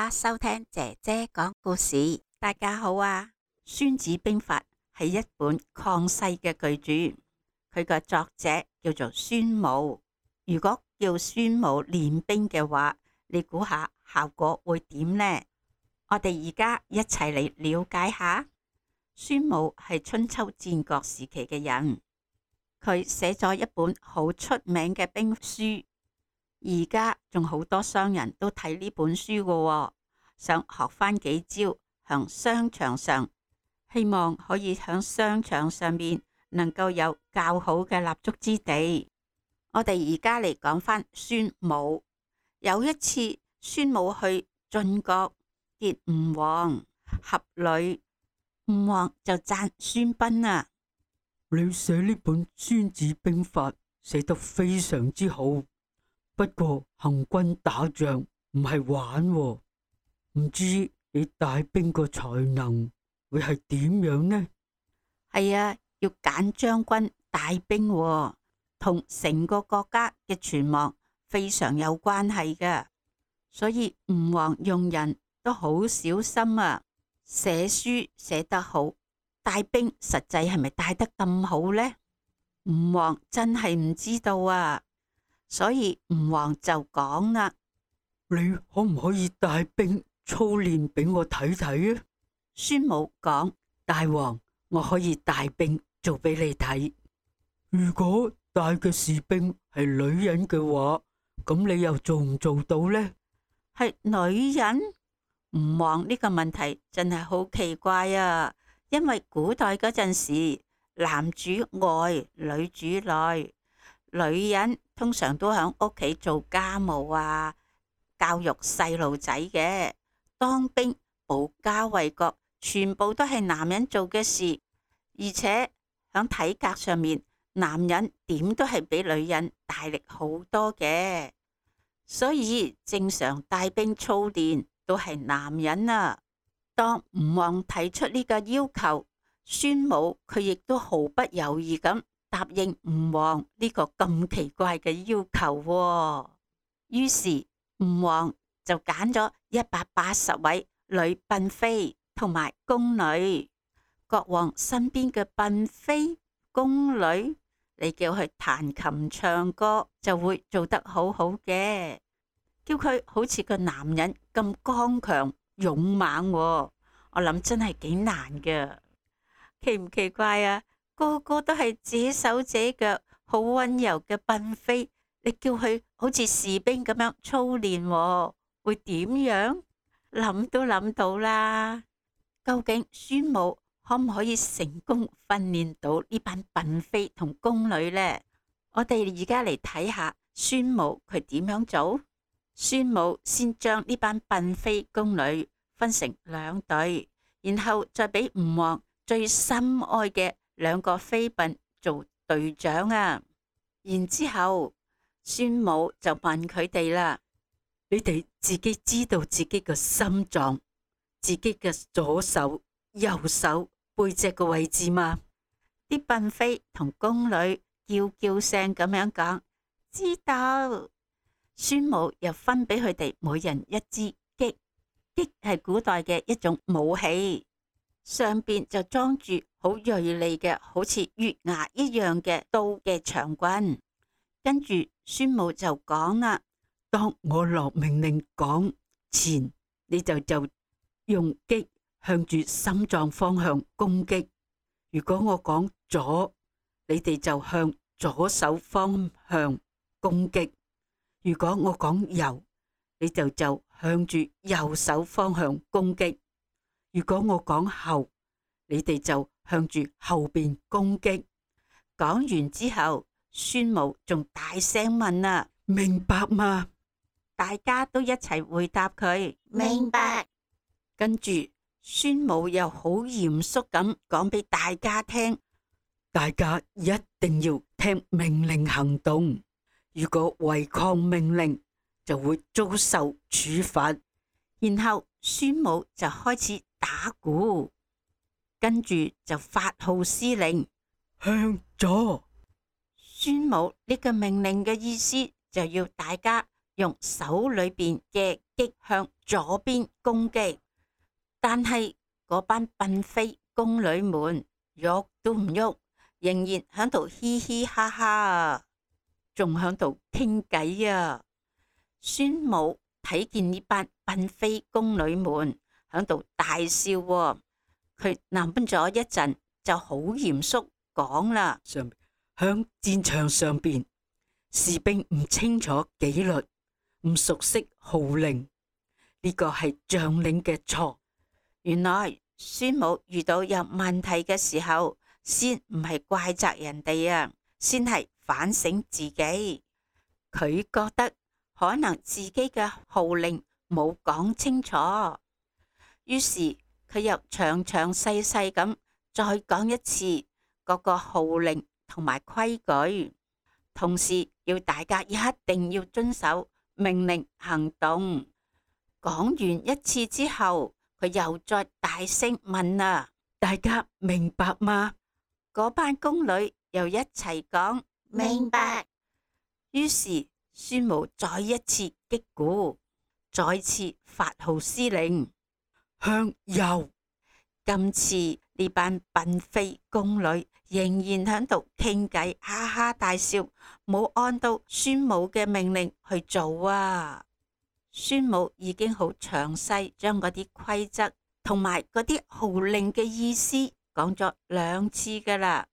家收聽姐姐講故事。大家好啊！《孫子兵法》係一本曠世嘅巨著，佢個作者叫做孫武。如果叫孫武練兵嘅話，你估下效果會點呢？我哋而家一齊嚟了解下。孫武係春秋戰國時期嘅人，佢寫咗一本好出名嘅兵書。而家仲好多商人都睇呢本書㗎喎，想學翻幾招，向商場上，希望可以響商場上面能夠有較好嘅立足之地。我哋而家嚟講翻孫武。有一次，孫武去晉國見吳王闔閭，吳王就讚孫臏啊，你寫呢本《孫子兵法》寫得非常之好。不過行軍打仗唔係玩喎，唔知你帶兵個才能會係點樣呢？係啊，要揀將軍帶兵喎，同成個國家嘅存亡非常有關係㗎。所以吳王用人都好小心啊，寫書寫得好，帶兵實際係咪帶得咁好呢？吳王真係唔知道啊。所以吳王就講啦，你可唔可以帶兵操練俾我睇睇啊？孫武講，大王，我可以帶兵做俾你睇。如果帶嘅士兵係女人嘅話，咁你又做唔做到呢？係女人？吳王呢個問題真係好奇怪啊！因為古代嗰陣時，男主外，女主內。女人通常都喺屋企做家務啊，教育細路仔嘅，當兵保家衛國，全部都係男人做嘅事。而且喺體格上面，男人點都係比女人大力好多嘅，所以正常帶兵操練都係男人啊。當吳王提出呢個要求，孫武佢亦都毫不猶豫咁答應吳王呢個咁奇怪嘅要求喎。於是吳王就揀咗180位女嬪妃同埋宮女。國王身邊嘅嬪妃宮女，你叫佢彈琴唱歌就會做得好好嘅，叫佢好似個男人咁剛強勇猛喎，我諗真係幾難㗎。奇唔奇怪啊？個個都係這手這腳好溫柔嘅嬪妃，你叫佢好似士兵咁樣操練喎，會點樣？諗都諗到啦。究竟孫武可唔可以成功訓練到呢班嬪妃同宮女呢？我哋而家嚟睇下孫武佢點樣做。孫武先將呢班嬪妃宮女分成兩隊，然後再俾吳王最心愛嘅2個妃嬪做隊長啊。然之後孫武就問佢哋啦：你哋自己知道自己嘅心臟、自己嘅左手、右手、背脊嘅位置嗎？啲嬪妃同宮女叫聲咁樣講：知道。孫武又分俾佢哋每人一支戟，戟係古代嘅一種武器，上邊就裝住好銳利嘅，好似月牙一樣嘅刀嘅長棍。跟住孫武就講啦：當我落命令講前，你就用戟向住心臟方向攻擊；如果我講左，你哋就向左手方向攻擊；如果我講右，你就向住右手方向攻擊；如果我講後，你哋就向住後邊攻擊。講完之後，孫武仲大聲問啊：明白嗎？大家都一齊回答佢明白。跟住孫武又好嚴肅咁講俾大家聽：大家一定要聽命令行動，如果違抗命令就會遭受處罰。然後孫武就開始打鼓，跟住就發號施令，向左。孫武呢個命令嘅意思就要大家用手裏邊嘅戟向左邊攻擊，但係嗰班嬪妃宮女們喐都唔喐，仍然響度嘻嘻哈哈啊，仲響度傾偈啊。孫武睇見呢班嬪妃宮女們響度大笑喎，佢諗咗一陣就好嚴肅講啦：響戰場上邊，士兵唔清楚紀律，唔熟悉號令，呢個係將領嘅錯。原來孫武遇到有問題嘅時候，先唔係怪責人哋啊，先係反省自己。佢覺得可能自己嘅號令冇講清楚，於是佢又詳詳細細咁再講一次嗰個號令同埋規矩，同時要大家一定要遵守命令行動。講完一次之後，佢又再大聲問啊：大家明白嗎？嗰班宮女又一齊講明白。於是孫武再一次擊鼓，再次發號施令，向右。今次呢班嬪妃宮女仍然喺度傾偈，哈哈大笑，冇按到孫武嘅命令去做啊！孫武已經好詳細將嗰啲規則同埋嗰啲號令嘅意思講咗2次噶啦，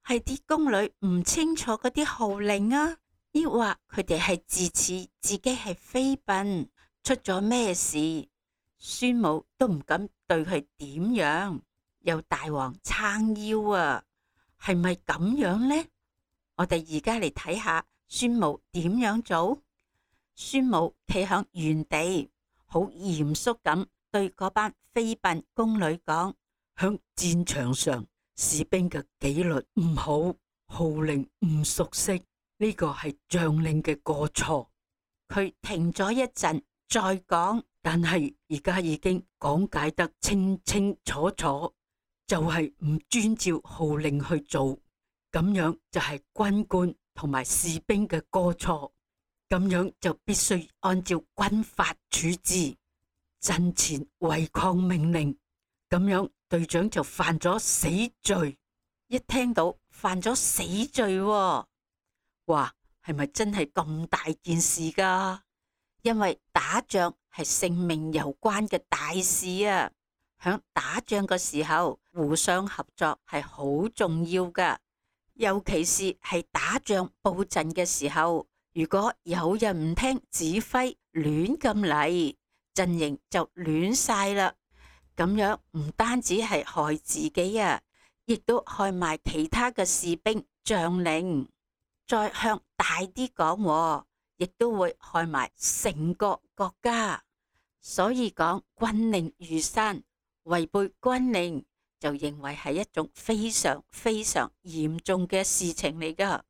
係啲宮女唔清楚嗰啲號令啊，抑或佢哋係自恃自己係妃嬪，出咗咩事，孫武都唔敢對佢點樣，有大王撐腰啊，係咪咁樣呢？我哋而家嚟睇下孫武點樣做。孫武企響原地，好嚴肅咁對嗰班妃嬪宮女講：響戰場上，士兵嘅紀律唔好，號令唔熟悉，呢個係將領嘅過錯。佢停咗一陣再講，但係而家已經講解得清清楚楚，就係唔遵照號令去做，咁樣就係軍官同埋士兵嘅過錯。咁樣就必須按照軍法處置，陣前違抗命令，咁樣隊長就犯咗死罪。一聽到犯咗死罪喎，哇，係咪真係咁大件事噶？因為打仗係性命攸關嘅大事啊！響打仗嘅時候，互相合作係好重要噶，尤其是係打仗布陣嘅時候。如果有人唔聽指揮，亂咁嚟，陣營就亂晒啦。咁樣唔單止係害自己啊，亦都害埋其他嘅士兵將領。再向大啲講，亦都會害埋成個國家。所以講軍令如山，違背軍令就認為係一種非常非常嚴重嘅事情嚟噶。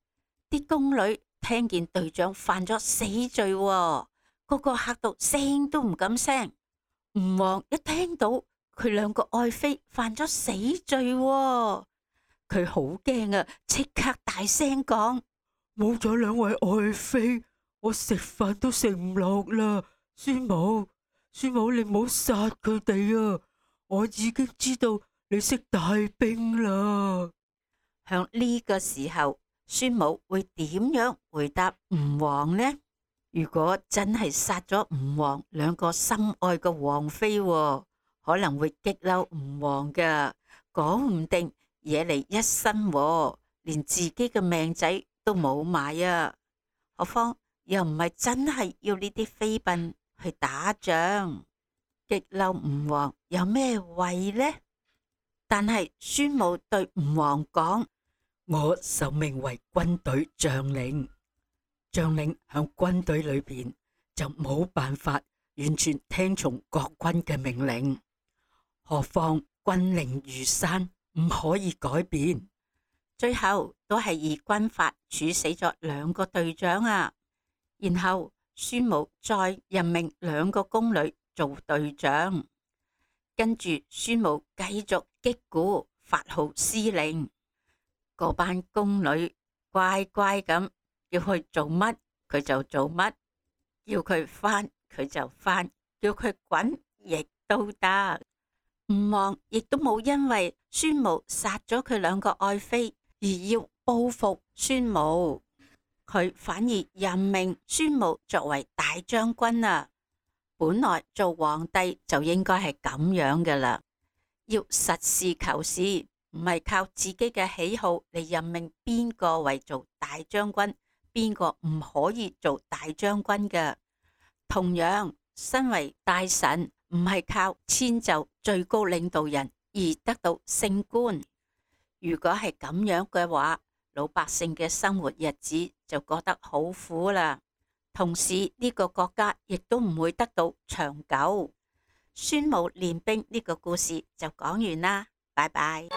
啲宮女聽見隊長犯咗死罪喎，個個嚇到聲都唔敢聲。吳王一聽到佢2個愛妃犯咗死罪喎，佢好驚啊，即刻大聲講：冇咗2位愛妃，我食飯都食唔落啦！孫武，你唔好殺佢哋啊！我已經知道你識帶兵啦。向呢個時候，孫武會點樣回答吳王呢？如果真係殺咗吳王2個心愛嘅王妃，可能會激嬲吳王噶，講唔定惹嚟一身禍，連自己嘅命仔都冇埋啊！何況又唔係真係要呢啲妃嬪去打仗，激嬲吳王有咩謂呢？但係孫武對吳王講：我受命為軍隊將領，將領響軍隊裏邊就冇辦法完全聽從國軍嘅命令，何況軍令如山，唔可以改變。最後都係以軍法處死咗2個隊長啊！然後孫武再任命2個宮女做隊長，跟住孫武繼續擊鼓發號施令。嗰班宮女乖乖咁要去做乜，佢就做乜，叫佢翻佢就翻，叫佢滾亦都得。吳王亦都冇因為孫武殺咗佢兩個愛妃而要報復孫武，佢反而任命孫武作為大將軍啊！本來做皇帝就應該係咁樣噶啦，要實事求是，唔係靠自己嘅喜好嚟任命邊個為做大將軍，邊個唔可以做大將軍嘅。同樣，身為大臣唔係靠遷就最高領導人而得到升官。如果係咁樣嘅話，老百姓嘅生活日子就過得好苦啦。同時呢個國家亦都唔會得到長久。孫武練兵呢個故事就講完啦，拜拜。